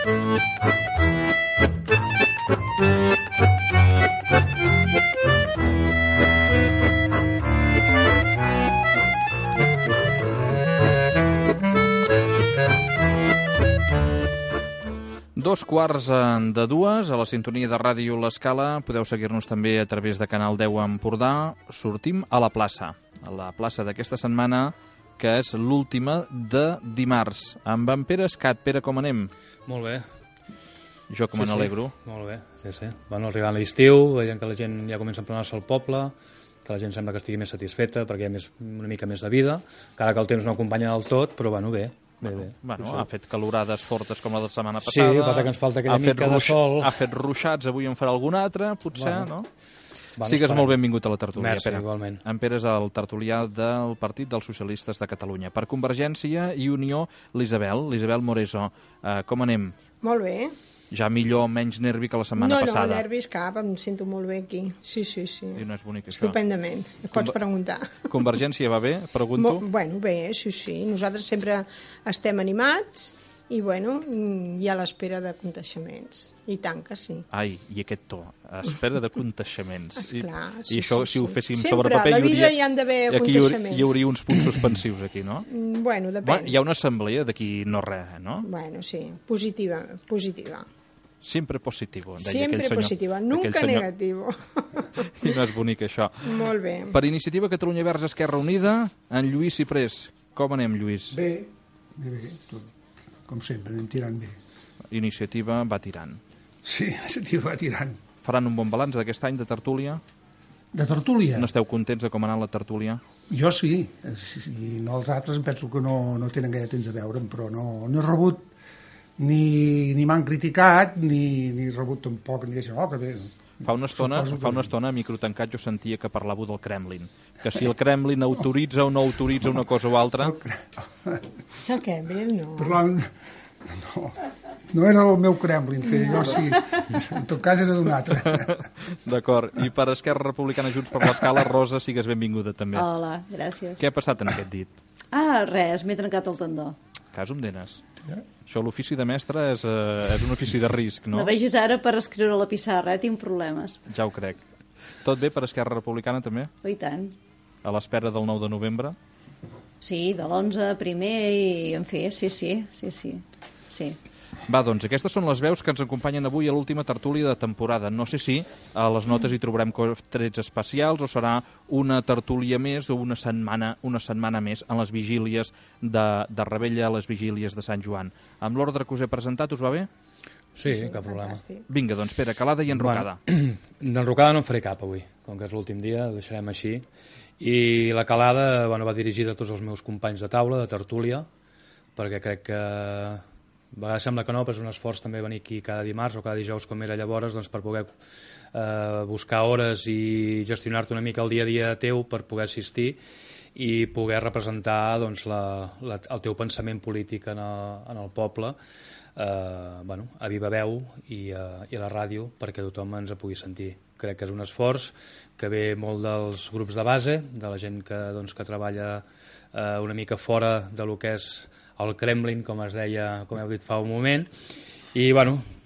Dos quarts de dues, a la sintonia de Ràdio L'Escala. Podeu seguir-nos també a través de Canal 10 Empordà. Sortim a la plaça d'aquesta setmana, que és l'última de dimarts. Amb en Pere Escat. Pere, com anem? Molt bé. Jo com n'alegro. Molt bé, sí. Bueno, arribant l'estiu, veient que la gent ja comença a emplenar-se al poble, que la gent sembla que estigui més satisfeta perquè hi ha una mica més de vida, encara que el temps no acompanya del tot, però bueno, bé. Bueno, ha fet calorades fortes com la de la setmana passada. Sí, passa que ens falta aquella mica de sol. Ha fet ruixats, avui en farà algun altre, potser, no? Sigues molt benvingut a la tertúlia, Merci, Pere. Igualment. En Pere és el tertulià del Partit dels Socialistes de Catalunya. Per Convergència i Unió, l'Isabel Moreso. Com anem? Molt bé. Ja millor, menys nervi que la setmana passada. No, nervis cap, em sento molt bé aquí. Sí. I no és bonic, això. Estupendament, pots preguntar. Convergència va bé, pregunto? Bueno, bé, sí. Nosaltres sempre estem animats i, bueno, i a l'espera de contagiaments. I tant que sí. Ai, i aquest to, espera de contaixements. Esclar, I això, si ho féssim sempre, sobre paper, a la vida hi han d'haver contaixements. Hi hauria uns punts suspensius aquí, no? Bueno, depèn. Hi ha una assemblea d'aquí no res, no? Bueno, sí, positiva. Sempre positivo, deia Siempre aquell senyor. Positiva, nunca negativo. I no és bonic, això. Molt bé. Per Iniciativa Catalunya Verds Esquerra Unida, en Lluís Ciprés. Com anem, Lluís? Bé, tot. Com sempre, anem tirant bé. Iniciativa va tirant. Sí, Iniciativa va tirant. Faran un bon balanç d'aquest any de tertúlia? De tertúlia? No esteu contents de com ha anat la tertúlia? Jo sí, i no els altres em penso que no tenen gaire temps a veure'm, però no he rebut ni m'han criticat, ni he rebut tampoc, ni deixen, que bé. Fa una estona, a micro tancat, jo sentia que parlàveu del Kremlin. Que si el Kremlin autoritza o no autoritza una cosa o altra... El Kremlin, no. Parlant... No era el meu Kremlin, que jo sí. En tot cas era d'un altre. D'acord. I per Esquerra Republicana Junts per l'Escala, Rosa, sigues benvinguda també. Hola, gràcies. Què ha passat en aquest dit? Res, m'he trencat el tendó. Casum d'enes. Això, l'ofici de mestre és un ofici de risc, no? No vegis ara per escriure a la pissarra, tinc problemes. Ja ho crec. Tot bé per Esquerra Republicana, també? I tant. A l'espera del 9 de novembre? Sí, de l'11 primer i, en fi, sí. Va, doncs, aquestes són les veus que ens acompanyen avui a l'última tertúlia de temporada. No sé si a les notes hi trobarem trets especials o serà una tertúlia més o una setmana més en les vigílies de Rebella, a les vigílies de Sant Joan. Amb l'ordre que us he presentat, us va bé? Sí, cap problema. Fantàstic. Vinga, doncs, Pere, calada i enrocada. D'enrocada no en faré cap avui, com que és l'últim dia, ho deixarem així. I la calada va dirigida a tots els meus companys de taula, de tertúlia, perquè crec que... A vegades sembla que no, però és un esforç també venir aquí cada dimarts o cada dijous com era llavors, doncs, per poder buscar hores i gestionar-te una mica el dia a dia teu per poder assistir i poder representar doncs, el teu pensament polític en el poble a viva veu i a la ràdio perquè tothom ens pugui sentir. Crec que és un esforç que ve molt dels grups de base, de la gent que treballa una mica fora de lo que és el Kremlin, com es deia, com heu dit fa un moment, i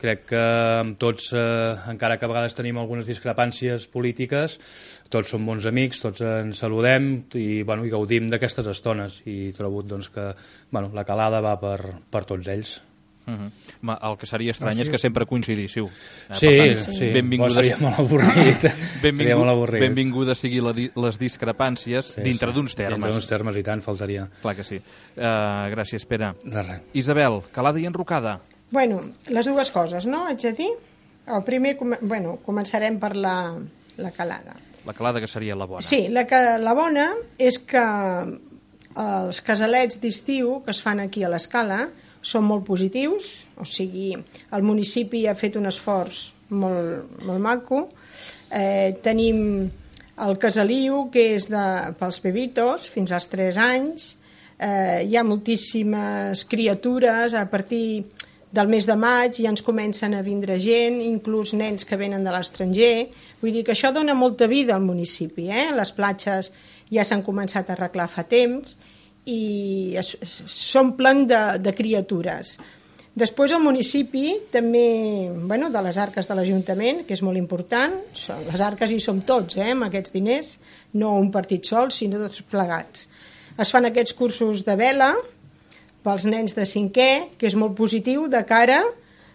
crec que amb tots, encara que a vegades tenim algunes discrepàncies polítiques, tots som bons amics, tots ens saludem i gaudim d'aquestes estones i trobo que la calada va per tots ells. El que seria estrany és que sempre coincidíssiu. Sí. Seria molt avorrit. Benvinguda sigui les discrepàncies dintre d'uns termes. Dintre d'uns termes, i tant, faltaria. Clar que sí. Gràcies, Pere. De res. Isabel, calada i enrocada. Bueno, les dues coses, no? Haig de dir? El primer, començarem per la calada. La calada que seria la bona. Sí, la bona és que els casalets d'estiu que es fan aquí a l'Escala són molt positius, o sigui, el municipi ha fet un esforç molt maco. Tenim el casaliu, que és pels bebitos, fins als 3 anys. Hi ha moltíssimes criatures, a partir del mes de maig ja ens comencen a vindre gent, inclús nens que venen de l'estranger. Vull dir que això dona molta vida al municipi. Les platges ja s'han començat a arreglar fa temps i s'omplen de criatures. Després el municipi també, de les arques de l'Ajuntament, que és molt important, les arques hi som tots, amb aquests diners, no un partit sol, sinó tots plegats. Es fan aquests cursos de vela pels nens de 5è, que és molt positiu de cara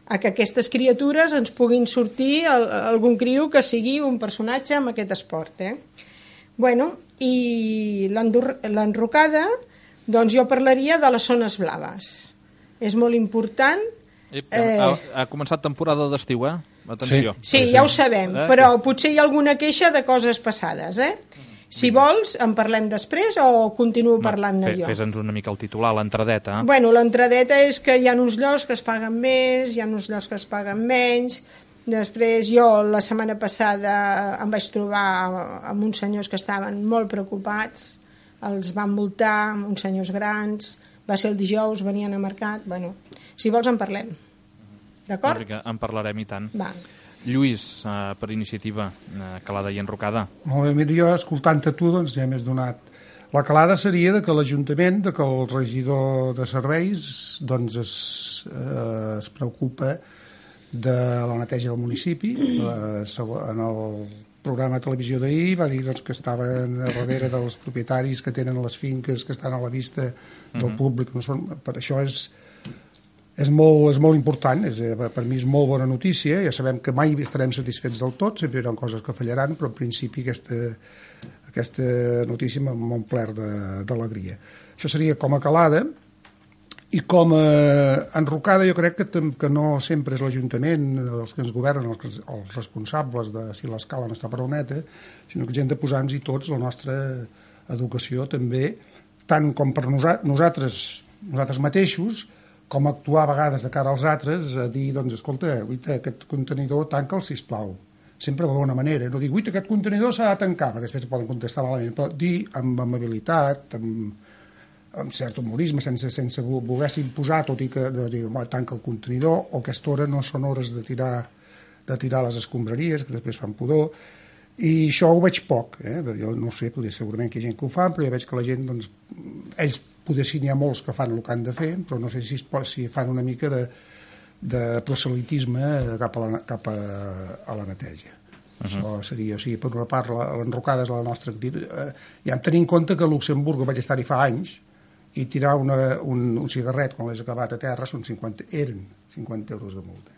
a que aquestes criatures ens puguin sortir algun criu que sigui un personatge amb aquest esport. I l'enrocada, doncs jo parlaria de les zones blaves. És molt important. Ha començat temporada d'estiu, Atenció. Sí, ja ho sabem, però potser hi ha alguna queixa de coses passades, Si vols, en parlem després o continuo parlant-ne jo? Fes-nos una mica el titular, l'entradeta. L'entradeta és que hi ha uns llocs que es paguen més, hi ha uns llocs que es paguen menys. Després jo la setmana passada em vaig trobar amb uns senyors que estaven molt preocupats, els van multar, uns senyors grans. Va ser el dijous, venien a mercat. Si vols en parlem. D'acord? En parlarem i tant. Va. Lluís, per iniciativa, calada i enrocada. Molt bé, mira, jo escoltant-te tu ja m'has donat. La calada seria que l'Ajuntament, que el regidor de serveis es preocupa de la neteja del municipi. En el programa de televisió d'ahir va dir que estaven a darrere dels propietaris que tenen les finques que estan a la vista del públic. Per això és molt important, per mi és molt bona notícia. Ja sabem que mai estarem satisfets del tot, sempre hi haurà coses que fallaran, però en principi aquesta notícia m'ha omplert d'alegria. Això seria com a calada. I com a enrocada jo crec que no sempre és l'Ajuntament els que ens governen, els responsables de si l'escala no està prou neta, sinó que hem de posar-nos-hi tots la nostra educació també, tant com per nosaltres mateixos, com actuar a vegades de cara als altres, a dir, escolta, aquest contenidor tanca'l, sisplau. Sempre de bona manera, no dir, aquest contenidor s'ha de tancar, perquè després poden contestar malament, però dir amb amabilitat, amb cert humorisme, sense voler-se imposar, tot i que tanca el contenidor, o aquesta hora no són hores de tirar les escombraries, que després fan pudor, i això ho veig poc, jo no sé, segurament que hi ha gent que ho fa, però ja veig que la gent, ells potser sí n'hi ha molts que fan el que han de fer, però no sé si fan una mica de proselitisme cap a la neteja. Això seria, per una part, l'enrocada és la nostra activitat. Ja em tenir en compte que a Luxemburg vaig estar-hi fa anys, i tirar un cigarret quan l'has acabat a terra eren 50 euros de multa.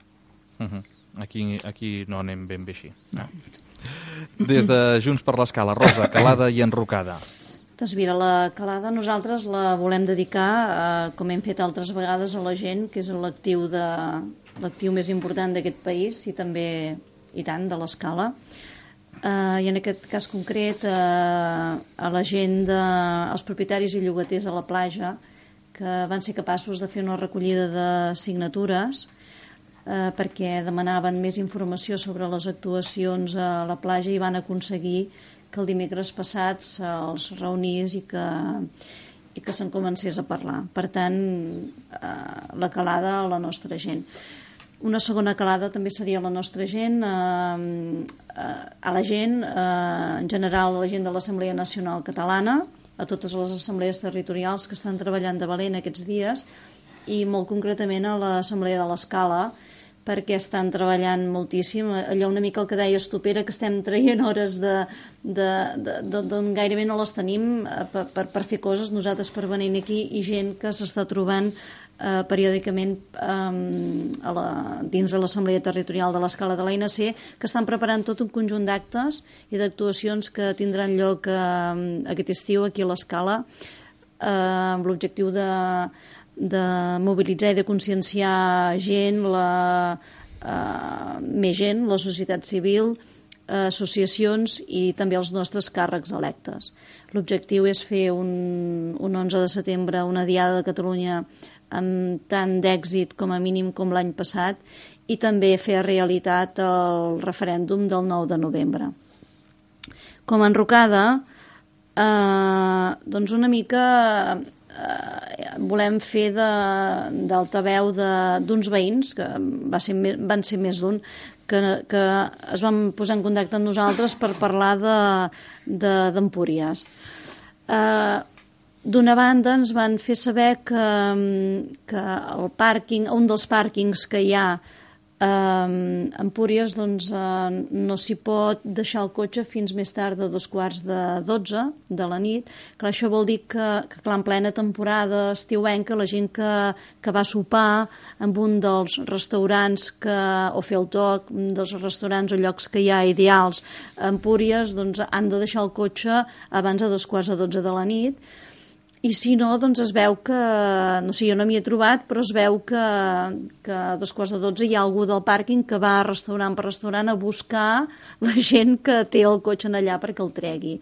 Aquí no anem ben bé així. No. Des de Junts per l'Escala, Rosa, calada i enrocada. Doncs mira, la calada nosaltres la volem dedicar, com hem fet altres vegades, a la gent, que és l'actiu més important d'aquest país i també, i tant, de l'Escala. I en aquest cas concret a la gent els propietaris i llogaters a la platja que van ser capaços de fer una recollida de signatures perquè demanaven més informació sobre les actuacions a la platja i van aconseguir que el dimecres passat se'ls reunís i que se'n comencés a parlar. Per tant, la calada a la nostra gent. Una segona calada també seria la nostra gent, a la gent, en general a la gent de l'Assemblea Nacional Catalana, a totes les assemblees territorials que estan treballant de valent aquests dies i molt concretament a l'Assemblea de l'Escala, perquè estan treballant moltíssim. Allò una mica el que deies tu, Pere, que estem traient hores d'on gairebé no les tenim per fer coses, nosaltres per venir aquí, i gent que s'està trobant periòdicament dins de l'Assemblea Territorial de l'Escala de l'ANC, que estan preparant tot un conjunt d'actes i d'actuacions que tindran lloc aquest estiu aquí a l'Escala amb l'objectiu de mobilitzar i de conscienciar gent, més gent, la societat civil, associacions i també els nostres càrrecs electes. L'objectiu és fer un 11 de setembre una Diada de Catalunya amb tant d'èxit com a mínim com l'any passat i també fer realitat el referèndum del 9 de novembre. Com a enrocada, doncs una mica volem fer d'altaveu d'uns veïns, que van ser més d'un, que es van posar en contacte amb nosaltres per parlar d'Empúries. D'una banda ens van fer saber que el pàrquing, un dels pàrquings que hi ha a Empúries, doncs no s'hi pot deixar el cotxe fins més tard de 11:45 de la nit. Clar, això vol dir que clar, en plena temporada estiuenca, la gent que va sopar en un dels restaurants o fer el toc, dels restaurants o llocs que hi ha ideals a Empúries, doncs han de deixar el cotxe abans de 11:45 de la nit. I si no, doncs es veu que, no sé, jo no m'hi he trobat, però es veu que a 11:45 hi ha algú del pàrquing que va restaurant per restaurant a buscar la gent que té el cotxe allà perquè el tregui.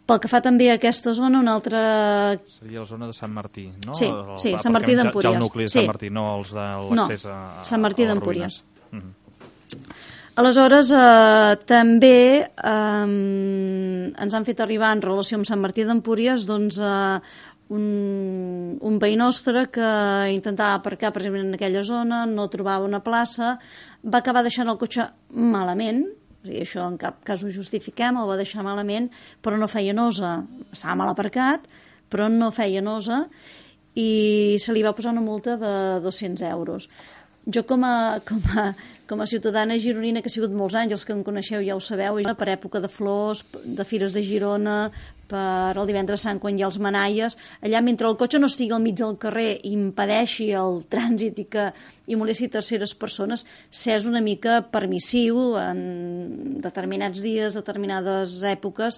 Pel que fa també a aquesta zona, una altra... Seria la zona de Sant Martí, no? Sí, Sant Martí d'Empúries. Ja el nucli de Sant Martí, no els de l'accés a Sant Martí d'Empúries. Aleshores, també ens han fet arribar en relació amb Sant Martí d'Empúries doncs, un veí nostre que intentava aparcar precisament en aquella zona, no trobava una plaça, va acabar deixant el cotxe malament, o sigui, això en cap cas ho justifiquem, el va deixar malament, però no feia nosa, estava mal aparcat, però no feia nosa, i se li va posar una multa de 200 euros. Jo com a ciutadana gironina, que ha sigut molts anys, els que em coneixeu ja ho sabeu, per època de flors, de fires de Girona, per el divendres sant quan hi ha els manaies, allà mentre el cotxe no estigui al mig del carrer i impedeixi el trànsit i molesti terceres persones, s'és una mica permissiu en determinats dies, determinades èpoques,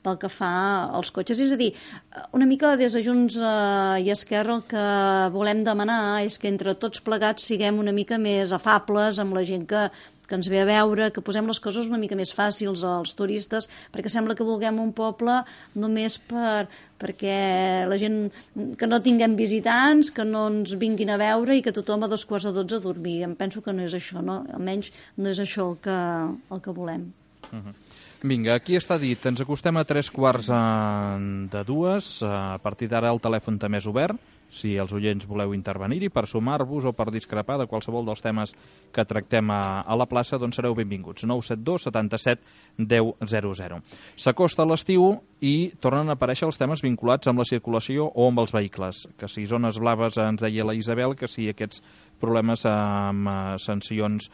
pel que fa als cotxes. És a dir, una mica des de Junts i Esquerra el que volem demanar és que entre tots plegats siguem una mica més afables amb la gent que ens ve a veure, que posem les coses una mica més fàcils als turistes, perquè sembla que vulguem un poble només perquè la gent, que no tinguem visitants, que no ens vinguin a veure i que tothom a 11:45 a dormir. Em penso que no és això, no? Almenys no és això el que volem. Vinga, aquí està dit, ens acostem a 11:45, a partir d'ara el telèfon també és obert, si els oients voleu intervenir-hi per sumar-vos o per discrepar de qualsevol dels temes que tractem a la plaça, doncs sereu benvinguts. 972 77 10 00. S'acosta l'estiu i tornen a aparèixer els temes vinculats amb la circulació o amb els vehicles, que si zones blaves ens deia la Isabel, que si aquests problemes amb sancions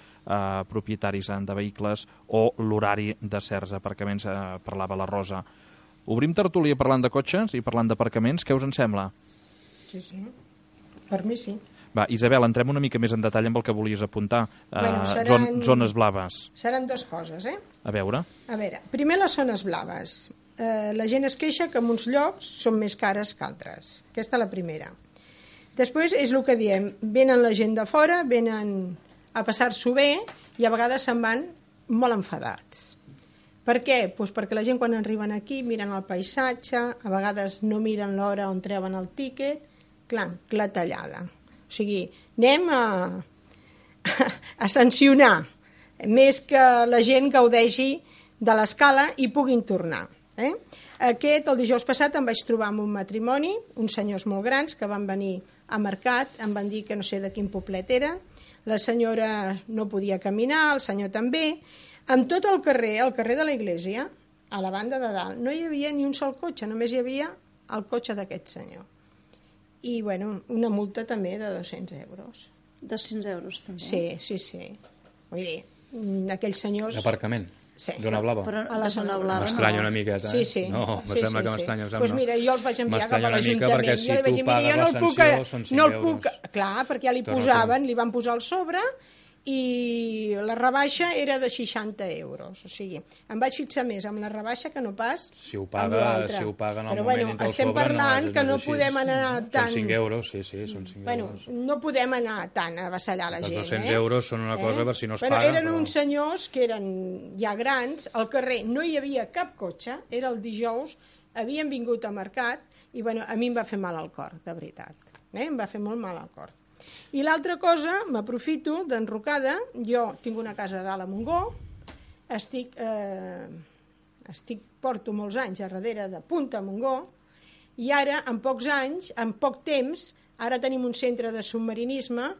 propietaris de vehicles o l'horari de certs aparcaments, parlava la Rosa. Obrim tertúlia parlant de cotxes i parlant d'aparcaments, què us en sembla? Sí. Per mi sí. Va, Isabel, entrem una mica més en detall amb el que volies apuntar. Zones blaves. Seran dues coses, A veure, primer les zones blaves. La gent es queixa que en uns llocs són més cares que altres. Aquesta és la primera. Després és el que diem, venen la gent de fora, venen a passar-s'ho bé i a vegades se'n van molt enfadats. Per què? Doncs perquè la gent quan arriben aquí miren el paisatge, a vegades no miren l'hora on treuen el tíquet, clar, clatellada. O sigui, anem a sancionar, més que la gent gaudeixi de l'escala i puguin tornar. El dijous passat em vaig trobar amb un matrimoni, uns senyors molt grans que van venir a mercat, em van dir que no sé de quin poblet era, la senyora no podia caminar, el senyor també, amb tot el carrer de la Iglesia, a la banda de dalt, no hi havia ni un sol cotxe, només hi havia el cotxe d'aquest senyor. I, bueno, una multa també de 200 euros. 200 euros, també? Sí. Vull dir, aquells senyors... D'aparcament? Sí. Zona blava? Però a la zona blava m'estranya una miqueta, Sí. No, me sembla que m'estranya. Doncs mira, jo els vaig enviar cap a l'Ajuntament. Perquè si tu pagues la sanció són 5 euros. Clar, perquè ja li van posar el sobre i la rebaixa era de 60 euros. O sigui, em vaig fixar més amb la rebaixa que no pas si ho paga en el moment dintre el sobre. Estem parlant que no podem anar tan... Són 5 euros, sí, són 5 euros. No podem anar tan a avassallar la gent. Els 200 euros són una cosa per si no es paga. Eren uns senyors que eren ja grans, al carrer no hi havia cap cotxe, era el dijous, havien vingut a mercat i a mi em va fer mal al cor, de veritat. Em va fer molt mal al cor. I l'altra cosa, m'aprofito d'enrocada, jo tinc una casa dalt a Montgó, porto molts anys a darrere de Punta a Montgó, i ara, en pocs anys, en poc temps, ara tenim un centre de submarinisme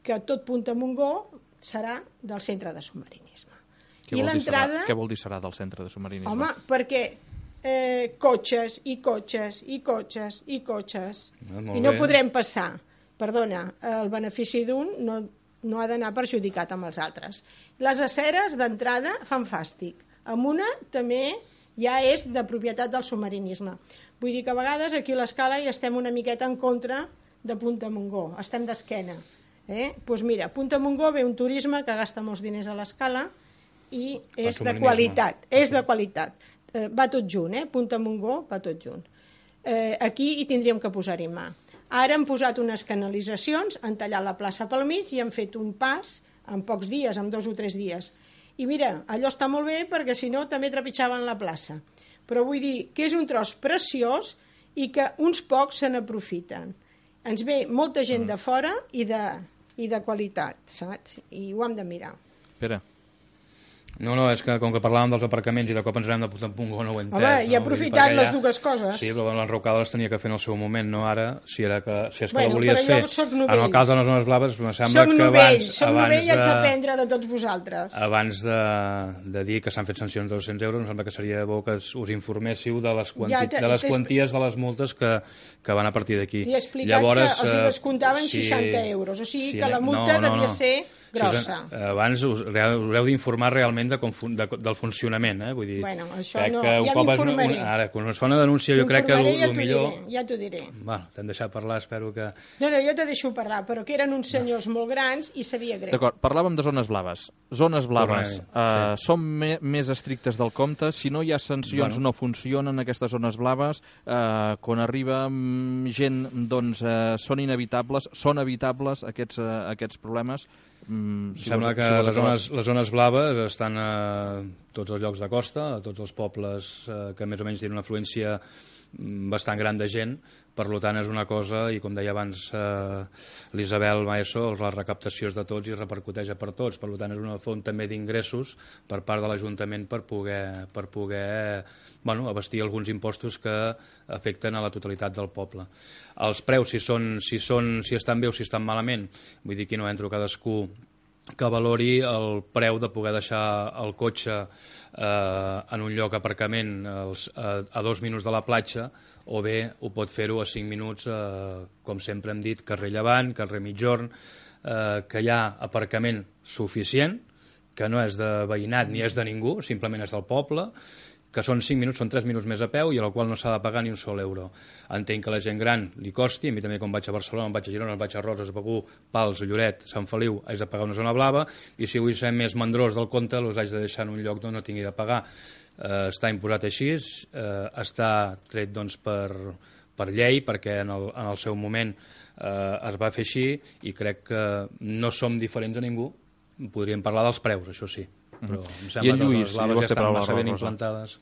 que tot Punta a Montgó serà del centre de submarinisme. Què vol dir serà del centre de submarinisme? Home, perquè cotxes i cotxes i cotxes i cotxes. Molt I no bé. podrem passar. Perdona, el benefici d'un no ha d'anar perjudicat amb els altres. Les aceres, d'entrada, fan fàstic. Amb una també ja és de propietat del submarinisme. Vull dir que a vegades aquí a l'Escala hi estem una miqueta en contra de Punta Montgó, estem d'esquena. Doncs mira, a Punta Montgó ve un turisme que gasta molts diners a l'Escala i és de qualitat. És de qualitat. Va tot junt, Punta Montgó va tot junt. Aquí hi tindríem que posar-hi mà. Ara han posat unes canalitzacions, han tallat la plaça pel mig i han fet un pas en pocs dies, en 2 o 3 dies. I mira, allò està molt bé perquè si no també trepitjaven la plaça. Però vull dir que és un tros preciós i que uns pocs se n'aprofiten. Ens ve molta gent de fora i de qualitat, saps? I ho hem de mirar. Pere. No, és que com que parlàvem dels aparcaments i de cop ens anem de Punta Montgó no ho he entès. Home, i ha aprofitat les dues coses. Sí, però l'enrocada les tenia que fer en el seu moment, no ara, si és que la Bueno, volies però fer. jo soc novell. En el cas de les zones blaves, em sembla Soc que novell abans i haig d'aprendre de tots vosaltres. abans de dir que s'han fet sancions de 200 euros, em sembla que seria bo que us informéssiu de les quanties de les multes que van a partir d'aquí. T'he explicat que els descomptaven 60 euros, o sigui que la multa devia ser grossa. Abans us heu d'informar realment del funcionament, vull dir... Bueno, això no, ja m'informaré. Ara, quan es fa una denúncia, jo crec que el millor... Ja t'ho diré. Bueno, t'hem deixat parlar, espero que... No, jo te deixo parlar, però que eren uns senyors molt grans i sabia greu. D'acord, parlàvem de zones blaves. Zones blaves són més estrictes del compte. Si no hi ha sancions, no funcionen aquestes zones blaves. Quan arriba gent, doncs, són inevitables, són evitables aquests problemes. Sembla que les zones blaves estan a tots els llocs de costa, a tots els pobles que més o menys tenen una afluència bastant gran de gent, per tant és una cosa, i com deia abans l'Isabel Maeso, la recaptació és de tots i repercuteix per tots, per tant és una font també d'ingressos per part de l'Ajuntament per poder abastir alguns impostos que afecten a la totalitat del poble. Els preus, si estan bé o si estan malament, vull dir que no entro cadascú que valori el preu de poder deixar el cotxe en un lloc d'aparcament a 2 minuts de la platja, o bé ho pot fer-ho a 5 minuts, com sempre hem dit, carrer Llevant, carrer Mitjorn, que hi ha aparcament suficient, que no és de veïnat ni és de ningú, simplement és del poble, que són 5 minuts, són 3 minuts més a peu i a la qual no s'ha de pagar ni un sol euro. Entenc que a la gent gran li costi, a mi també quan vaig a Barcelona, vaig a Girona, vaig a Roses, a Begur, Pals, Lloret, Sant Feliu, haig de pagar una zona blava, i si vull ser més mandrós del compte, els haig de deixar en un lloc on no tingui de pagar. Està imposat així, està tret doncs, per llei, perquè en el seu moment es va fer així, i crec que no som diferents a ningú. Podríem parlar dels preus, això sí, però em sembla que les blaves ja estan massa ben implantades.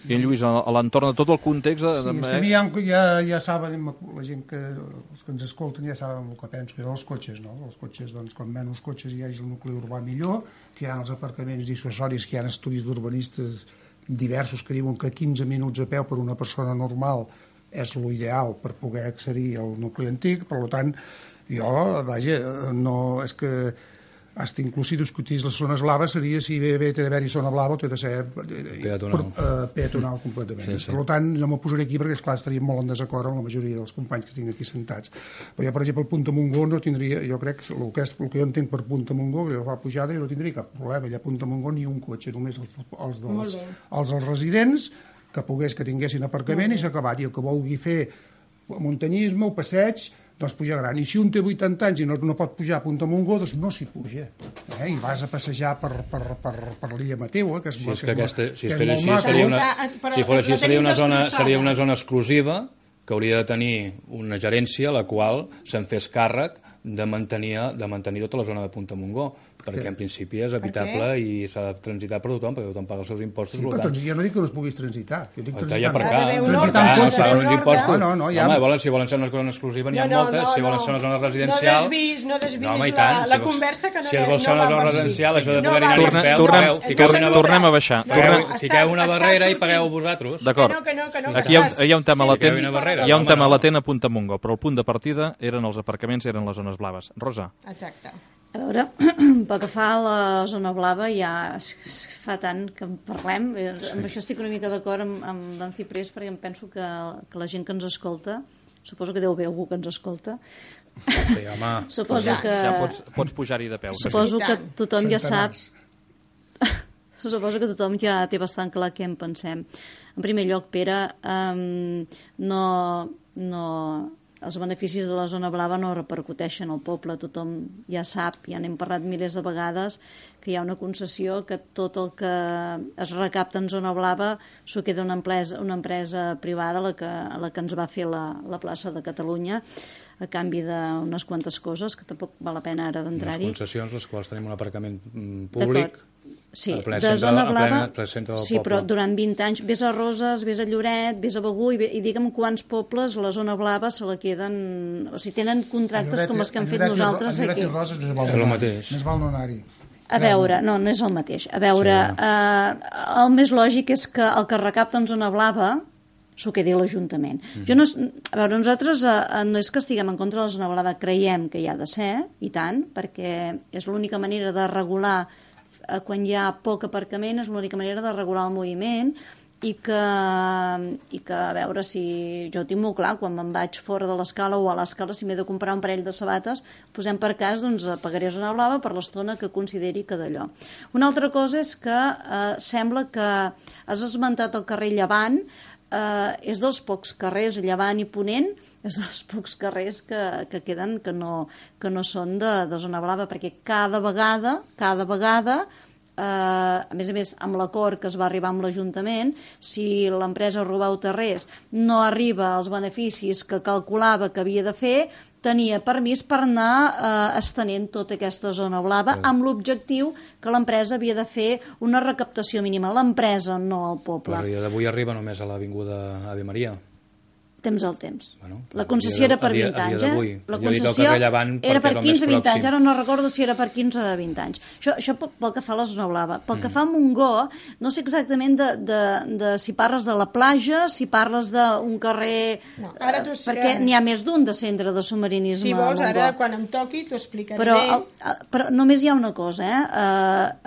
I en Lluís, a l'entorn de tot el context... Sí, és que a mi ja saben, la gent els que ens escolten ja saben el que penso jo dels cotxes, no? Els cotxes, doncs, com menys cotxes hi hagi el nucli urbà millor, que hi ha els aparcaments dissuasoris, que hi ha estudis d'urbanistes diversos que diuen que 15 minuts a peu per una persona normal és l'ideal per poder accedir al nucli antic, per tant, jo, vaja, no, és que hasta inclús si discutís les zones blaves seria si bé té d'haver-hi zona blava o té de ser peatonal completament. Sí. Per tant, no m'ho posaré aquí perquè, esclar, estaríem molt en desacord amb la majoria dels companys que tinc aquí sentats. Però jo, per exemple, el Punta Montgó no tindria, jo crec que el que jo entenc per Punta Montgó, que fa pujada, jo no tindria cap problema. Allà a Punta Montgó ni un cotxe, només els dels residents que tinguessin aparcament i s'ha acabat. I el que vulgui fer muntanyisme o passeig, doncs pujar gran. I si un té 80 anys i no pot pujar a Punta Montgó, doncs no s'hi puja. I vas a passejar per l'illa Mateu, que és molt maca. Si fos així, seria una zona exclusiva que hauria de tenir una gerència la qual se'n fes càrrec de mantenir tota la zona de Punta Montgó, perquè en principi és habitable i s'ha de transitar per tothom, perquè tothom paga els seus impostos. Sí, però jo no dic que no es puguis transitar. Jo dic transitar per cá. Transitar uns impostos. Home, si volen ser una zona exclusiva n'hi ha moltes, si volen ser una zona residencial... No desvis la conversa que no va... Si es vol ser una zona residencial, això de poder anar a peu... Tornem a baixar. Fiqueu una barrera i pagueu vosaltres. D'acord. Aquí hi ha un tema latent a Punta Montgó, però el punt de partida eren els aparcaments, eren les zones blaves. Rosa. Exacte. A veure, pel que fa a la zona blava, ja fa tant que en parlem. Amb això estic una mica d'acord amb en Ciprés, perquè em penso que la gent que ens escolta, suposo que deu haver algú que ens escolta, Sí, home. suposo que... Ja pots pujar-hi de peu. Suposo que tothom ja sap... Centenars. Suposo que tothom ja té bastant clar què en pensem. En primer lloc, Pere, els beneficis de la zona blava no repercuteixen al poble. Tothom ja sap, ja n'hem parlat milers de vegades, que hi ha una concessió que tot el que es recapta en zona blava s'ho queda una empresa privada, la que ens va fer la plaça de Catalunya, a canvi d'unes quantes coses, que tampoc val la pena ara d'entrar-hi. Unes concessions, les quals tenim un aparcament públic. Sí, de zona blava, sí, però durant 20 anys vés a Roses, vés a Lloret, vés a Begur i digue'm quants pobles la zona blava se la queden, o sigui, tenen contractes com els que hem fet nosaltres aquí. A Lloret i Roses més val no anar-hi. A veure, no és el mateix. A veure, el més lògic és que el que recapta en zona blava s'ho quedi l'Ajuntament. A veure, nosaltres no és que estiguem en contra de la zona blava, creiem que hi ha de ser, i tant, perquè és l'única manera de regular quan hi ha poc aparcament, és l'única manera de regular el moviment i que, a veure, si jo ho tinc molt clar, quan me'n vaig fora de l'escala o a l'escala, si m'he de comprar un parell de sabates, posem per cas, doncs pagaré zona blava per l'estona que consideri que d'allò. Una altra cosa és que sembla que has esmentat el carrer Llevant, és dels pocs carrers, Llevant i Ponent, és dels pocs carrers que queden que no són de zona blava, perquè cada vegada, a més, amb l'acord que es va arribar amb l'Ajuntament, si l'empresa Robau Terrés no arriba als beneficis que calculava que havia de fer, tenia permís per anar estenent tota aquesta zona blava amb l'objectiu que l'empresa havia de fer una recaptació mínima. L'empresa, no el poble. Però d'avui arriba només a l'Avinguda Ave Maria. Temps al temps. Bueno, la concessió era per 20 anys, La concessió era per 15-20 anys. Ara no recordo si era per 15 o 20 anys. Això pel que fa a la zona blava. Pel que fa a Montgó, no sé exactament de si parles de la platja, si parles d'un carrer... No, perquè n'hi ha més d'un de centre de submarinisme. Si vols, ara quan em toqui t'ho explicaré. Però només hi ha una cosa,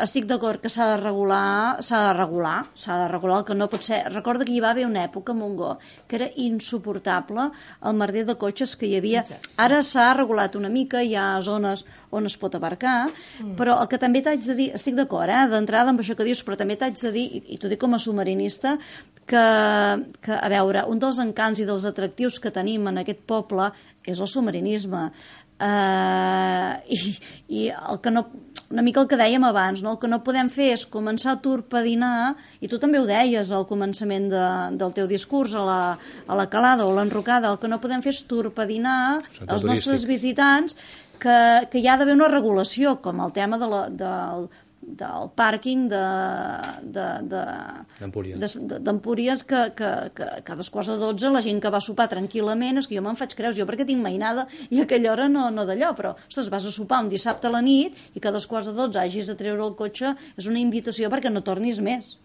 estic d'acord que s'ha de regular el que no pot ser. Recorda que hi va haver una època a Montgó que era insuportable el merder de cotxes que hi havia. Ara s'ha regulat una mica, hi ha zones on es pot abarcar, però el que també t'haig de dir, estic d'acord, d'entrada amb això que dius, però també t'haig de dir, i t'ho dic com a submarinista, que, a veure, un dels encants i dels atractius que tenim en aquest poble és el submarinisme. I el que no... Una mica el que dèiem abans, no? El que no podem fer és començar a torpedinar, i tu també ho deies al començament del teu discurs, a la calada o l'enrocada, el que no podem fer és torpedinar els nostres visitants, que hi ha d'haver una regulació, com el tema del pàrquing d'Empúries, que a 2:45 la gent que va sopar tranquil·lament, és que jo me'n faig creus, jo perquè tinc mainada i a aquella hora no d'allò, però ostres, vas a sopar un dissabte a la nit i que a 2:45 hagis de treure el cotxe, és una invitació perquè no tornis més.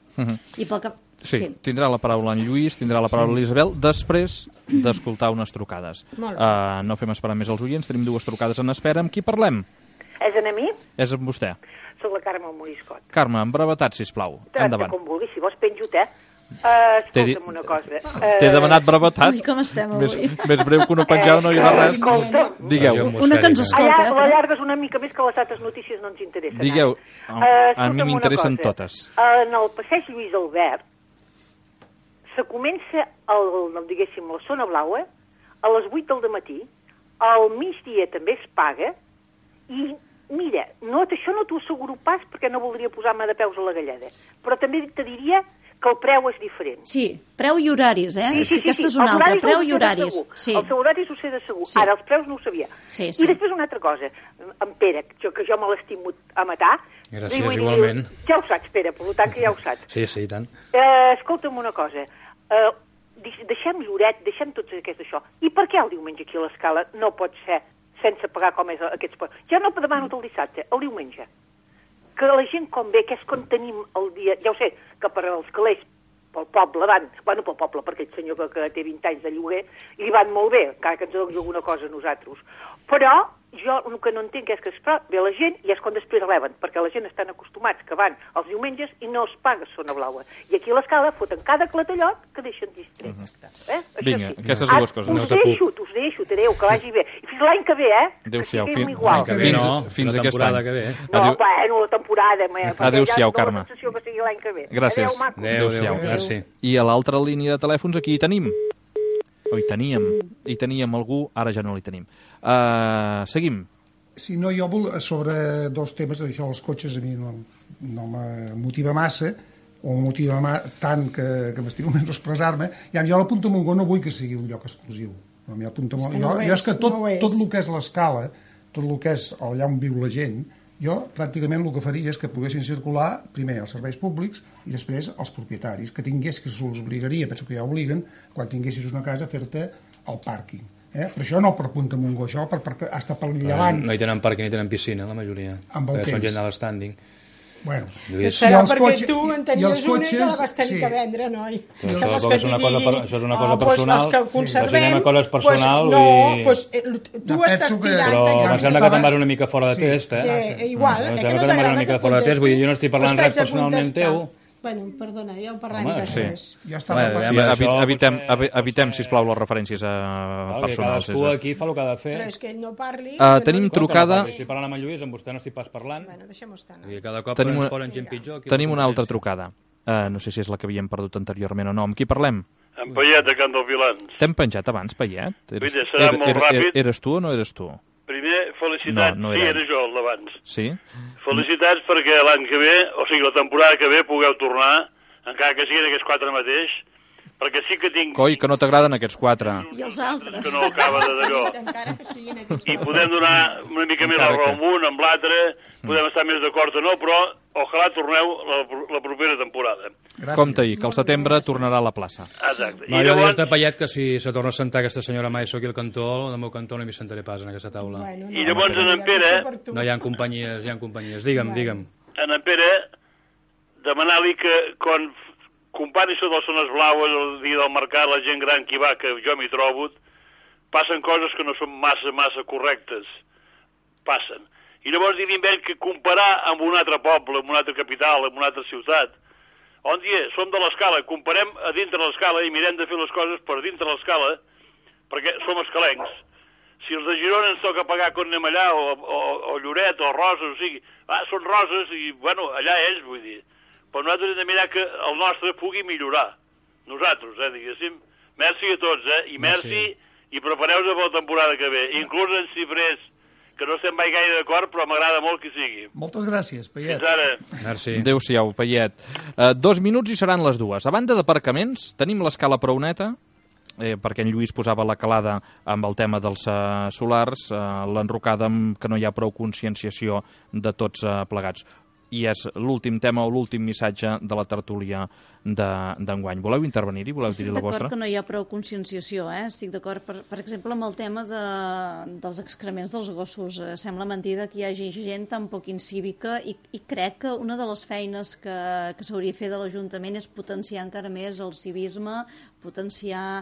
I pel que... Sí, tindrà la paraula en Lluís, tindrà la paraula l'Isabel, després d'escoltar unes trucades. No fem esperar més els oients, tenim 2 trucades en espera. Amb qui parlem? És a mi? És amb vostè. Soc la Carme Moriscot. Carme, amb brevetat, sisplau. Endavant. Com vulguis, si vols penjo-te. Escolta'm una cosa. T'he demanat brevetat. Ui, com estem avui? Més breu que una penjada no hi ha res. Escolta. Digueu. Una que ens escolta. La llargues una mica més que les altres notícies no ens interessen. Digueu. A mi m'interessen totes. En el passeig Lluís Albert se comença, diguéssim, la zona blaua a les 8 del matí, al migdia també es paga, i mira, això no t'ho asseguro pas perquè no voldria posar-me de peus a la galleda, però també te diria que el preu és diferent. Sí, preu i horaris, és que aquesta és una altra, preu i horaris. Els horaris ho sé de segur, ara els preus no ho sabia. I després una altra cosa, en Pere, que jo me l'estimo a matar. Gràcies, igualment. Ja ho saps, Pere, per tant que ja ho saps. Sí, i tant. Escolta'm una cosa, deixem Lloret, deixem tot això. I per què el diumenge aquí a l'Escala no pot ser sense pagar com és aquests... Ja no demano el dissabte, el diumenge. Que la gent com ve, que és quan tenim el dia... Ja ho sé, que per als calés, pel poble van... Bueno, pel poble, perquè aquest senyor que té 20 anys de lloguer, li van molt bé, encara que ens doni alguna cosa a nosaltres. Però jo el que no entenc és que ve la gent i és quan després reben, perquè la gent estan acostumats que van els diumenges i no es paga zona blaua. I aquí a l'escala foten cada clatellot que deixen distret. Vinga, aquestes dues coses. Us deixo, adéu, que vagi bé. I fins l'any que ve, Adéu-siau. Fins aquest any. No, bueno, la temporada. Adéu-siau, Carme. Gràcies. Adéu-siau, merci. I a l'altra línia de telèfons aquí hi tenim. Hi teníem algú, ara ja no l'hi tenim. Seguim. Si no, jo sobre dos temes, això dels cotxes a mi no me motiva massa, o me motiva tant que m'estimo menys expressar-me. Jo a la Punta Montgó no vull que sigui un lloc exclusiu. Jo és que tot el que és l'escala, tot el que és allà on viu la gent, jo pràcticament el que faria és que poguessin circular primer els serveis públics i després els propietaris, que se'ls obligaria, penso que ja obliguen, quan tinguessis una casa a fer-te el pàrquing. Per això no per Punta Montgó, això hasta pel llevant. No hi tenen pàrquing ni tenen piscina, la majoria. Són gent de l'estànding. Bueno, serà perquè tu en tenies una i la vas tenir que vendre, noi? Això és una cosa personal. Els que conservem... coses personal tu estàs tirant... Però em sembla que te'n vas una mica fora de test, igual, que no t'agrada que contesto. Vull dir, jo no estic parlant res personalment teu. Bueno, perdona, ja ho parlarem després. Evitem, sisplau, les referències personals. Cadascú aquí fa el que ha de fer. Però és que ell no parli... Tenim trucada... Si parlant amb en Lluís, amb vostè no estic pas parlant. Bueno, deixem-ho estar. Cada cop ens ponen gent pitjor. Tenim una altra trucada. No sé si és la que havíem perdut anteriorment o no. Amb qui parlem? En Payet, de Can dels Vilans. T'hem penjat abans, Payet? Serà molt ràpid. Eres tu o no eres tu? Primer, felicitats. No sí, era jo, el d'abans. Sí? Felicitats perquè l'any que ve, o sigui, la temporada que ve, pugueu tornar, encara que siguin aquests 4 mateix, perquè sí que tinc... Coi, que no t'agraden aquests 4. I els altres. Que no acaba d'allò. I podem donar una mica més la raó amb un, amb l'altre, podem estar més d'acord o no, però ojalà torneu la propera temporada. Compte-hi, que al setembre tornarà a la plaça. Exacte. No, jo dir-te, Payet, que si se torna a sentar aquesta senyora mai aquí al cantó, del meu cantó no m'hi sentaré pas en aquesta taula. I llavors en Pere... No, hi ha companyies. Digue'm. En Pere, demanar-li que quan compari això de les zones blaues, el dia del mercat, la gent gran que hi va, que jo m'hi trobo, passen coses que no són massa correctes. Passen. I llavors dir-li amb ell que comparar amb un altre poble, amb una altra capital, amb una altra ciutat, on dia, som de l'escala, comparem a dintre l'escala i mirem de fer les coses per dintre l'escala, perquè som escalencs. Si els de Girona ens toca pagar quan anem allà, o Lloret, o Roses, o sigui, són Roses i, bueno, allà ells, vull dir. Però nosaltres hem de mirar que el nostre pugui millorar. Nosaltres, diguéssim. Merci a tots, i merci, i prepareu-vos per la temporada que ve. Inclús en xifrers, que no estem mai gaire d'acord, però m'agrada molt que sigui. Moltes gràcies, Payet. Fins ara. Merci. Adéu-siau, Payet. 2 minuts i seran les 2. A banda d'aparcaments, tenim l'escala prou neta, perquè en Lluís posava la calada amb el tema dels solars, l'enrocada amb que no hi ha prou conscienciació de tots plegats. I és l'últim tema o l'últim missatge de la tertúlia d'enguany. Voleu intervenir-hi? Voleu dir la vostra? Estic d'acord que no hi ha prou conscienciació. Estic d'acord, per exemple, amb el tema dels excrements dels gossos. Sembla mentida que hi hagi gent tan poc incívica i crec que una de les feines que s'hauria de fer de l'Ajuntament és potenciar encara més el civisme, potenciar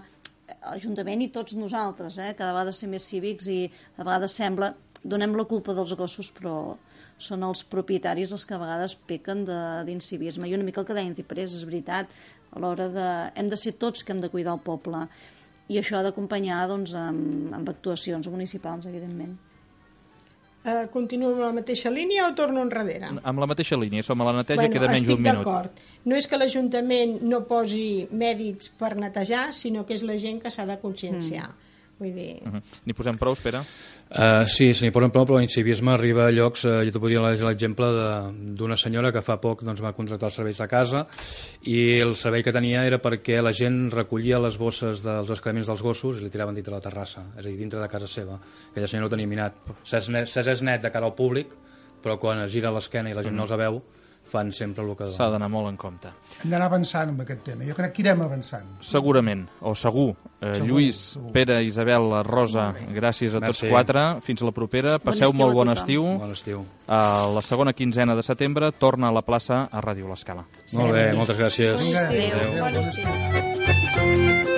l'Ajuntament i tots nosaltres, cada vegada ser més cívics i a vegades sembla... Donem la culpa dels gossos, però són els propietaris els que a vegades pequen d'incivisme. I una mica el que deien Ciprés, és veritat, a l'hora de... Hem de ser tots que hem de cuidar el poble. I això ha d'acompanyar doncs, amb actuacions municipals, evidentment. Continuo amb la mateixa línia o torno enrere? Amb la mateixa línia, som a la neteja, queda menys d'un minut. Estic d'acord. No és que l'Ajuntament no posi mèdics per netejar, sinó que és la gent que s'ha de conscienciar. Vull dir... N'hi posem prou, espera? Sí, se n'hi posen prou, però l'incivisme arriba a llocs... jo t'ho podria dir l'exemple d'una senyora que fa poc doncs, va contractar els serveis de casa i el servei que tenia era perquè la gent recollia les bosses dels excrements dels gossos i li tiraven dintre la terrassa, és a dir, dintre de casa seva. Aquella senyora ho tenia minat. S'és net de cara al públic, però quan es gira l'esquena i la gent no els veu, fan sempre el que... S'ha d'anar molt en compte. Hem d'anar avançant amb aquest tema. Jo crec que irem avançant. Segurament, o segur. Lluís, Pere, Isabel, Rosa, gràcies a tots 4. Fins la propera. Passeu molt bon estiu. Bon estiu. La segona quinzena de setembre torna a la plaça a Ràdio L'Escala. Molt bé, moltes gràcies. Bon estiu.